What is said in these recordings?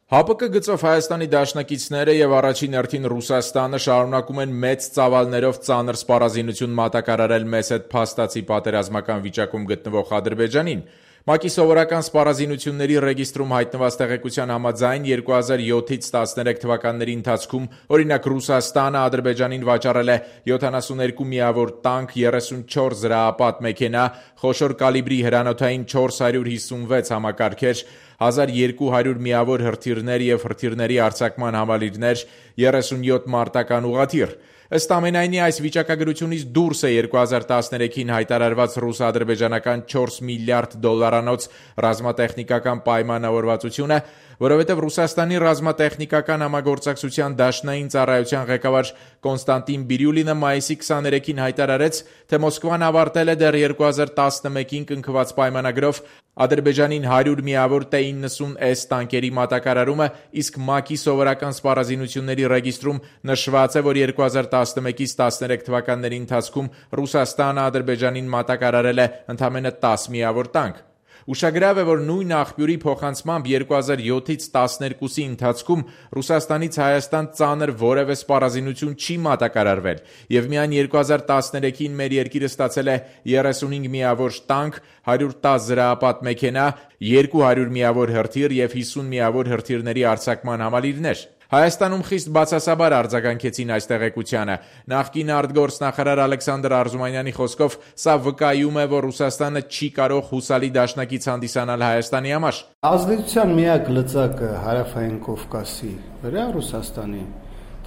ՀԱՊԿ գծով Հայաստանի դաշնակիցները եւ առաջին հերթին Ռուսաստանը շարունակում են մեծ ծավալներով ծանր սպառազինություն մատակարարել մեզ հետ փաստացի պատերազմական վիճակում գտնվող Ադրբեջանին։ ՄԱԿ-ի սովորական սպառազինությունների ռեգիստրում հայտնված տեղեկության համաձայն 2007-ից 13 թվականների ընթացքում օրինակ Ռուսաստանը Ադրբեջանին վաճառել է 72 միավոր տանկ, 34 զրահապատ մեքենա, խոշոր կալիբրի հրանոթային 456 համակարգեր, 1200 միավոր հրթիռներ եւ հրթիռների արձակման համալիրներ, 37 մարտական ուղղաթիռ։ Ըստ ամենայնի, այս վիճակագրությունից դուրս է 2013-ին հայտարարված ռուս-ադրբեջանական 4 միլիարդ դոլարանոց ռազմատեխնիկական պայմանավորվածությունը, որովհետև Ռուսաստանի ռազմատեխնիկական համագործակցության դաշնային ծառայության ղեկավար Կոնստանտին Բիրյուլինը մայիսի 23-ին հայտարարեց, թե Մոսկվան ավարտել է դեռ 2011-ին կնքված պայմանագրով Ադրբեջանին 100 միավոր T-90S տանկերի մատակարարումը, իսկ ՄԱԿ-ի սովորական սպառազինությունների ռեգիստրում նշված է, որ 2011-ից 13 թվականների ընթացքում Ռուսաստանը Ադրբեջանին մատակարարել է ընդամենը 10 միավոր տանկ։ Ուշագրավ է, որ նույն աղբյուրի փոխանցմամբ 2007-ից 12-ի ընթացքում Ռուսաստանից Հայաստան ծանր որևէ սպառազինություն չի մատակարարվել, եւ միայն 2013-ին մեր երկիրը ստացել է 35 միավոր տանկ, 110 զրահապատ մեքենա, 200 միավոր հրթիռ եւ 50 միավոր հրթիռների արձակման համալիրներ։ Հայաստանում խիստ բացասաբար արձագանքեցին այս տեղեկությանը։ Նախկին արտգործնախարար Ալեքսանդր Արզումանյանի խոսքով սա վկայում է, որ Ռուսաստանը չի կարող հուսալի դաշնակից հանդիսանալ Հայաստանի համար։ Ազդեցության միակ լծակը Հարավային Կովկասի վրա Ռուսաստանի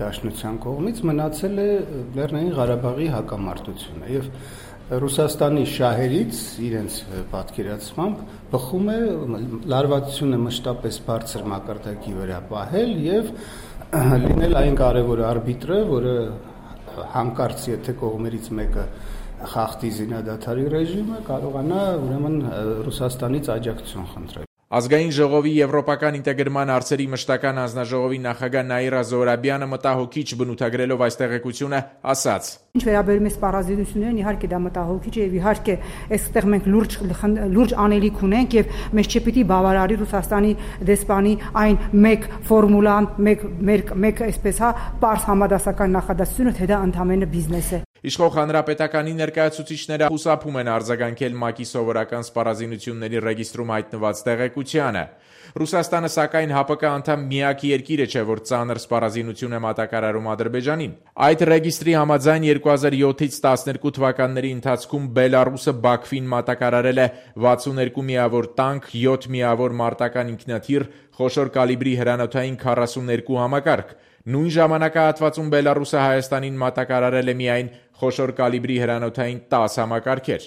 դաշնության կողմից մնացել է Լեռնային Ղարաբաղի հակամարտությունը եւ Ռուսաստանի շահերից իրենց պատկերացմամբ բխում է լարվածությունը մշտապես բարձր մակարդակի վրա պահել եւ լինել այն կարևոր արբիտրը, որը հանկարծ եթե կողմերից մեկը խախտի զինադադարի ռեժիմը, կարողանա ուրեմն Ռուսաստանից աջակցություն խնդրել։ Ազգային ժողովի եվրոպական ինտեգրման հարցերի մշտական հանձնաժողովի նախագահ Նաիրա Զոհրաբյանը մտահոգիչ բնութագրելով այս տեղեկությունը ասաց. Ինչ վերաբերում է սպառազինություններին, իհարկե դա մտահոգիչ է եւ իհարկե այստեղ մենք լուրջ անելիք ունենք եւ մեզ չպիտի բավարարի Ռուսաստանի դեսպանի այն մեկ ֆորմուլան, մեկ այսպես պարզ համադասական նախադասությունը, թե դա ընդամենը բիզնես է։ Իշխող հանրապետականի ներկայացուցիչները խուսափում են արձագանքել ՄԱԿ-ի սովորական սպառազինությունների ռեգիստրում հայտնված տեղեկությանը։ Ռուսաստանը սակայն ՀԱՊԿ անդամ միակ երկիրը չէ, որ ծանր սպառազինություն է մատակարարում Ադրբեջանին։ Այդ ռեգիստրի համաձայն 2007-ից 12 թվականների ընթացքում Բելարուսը Բաքվին մատակարարել է 62 միավոր տանկ, 7 միավոր մարտական ինքնաթիռ, խոշոր կալիբրի հրանոթային 42 համակարգ։ Նույն ժամանակահատվածում Բելարուսը Հայաստանին մատակարարել է միայն խոշոր կալիբրի հրանոթային 10 համակարգեր։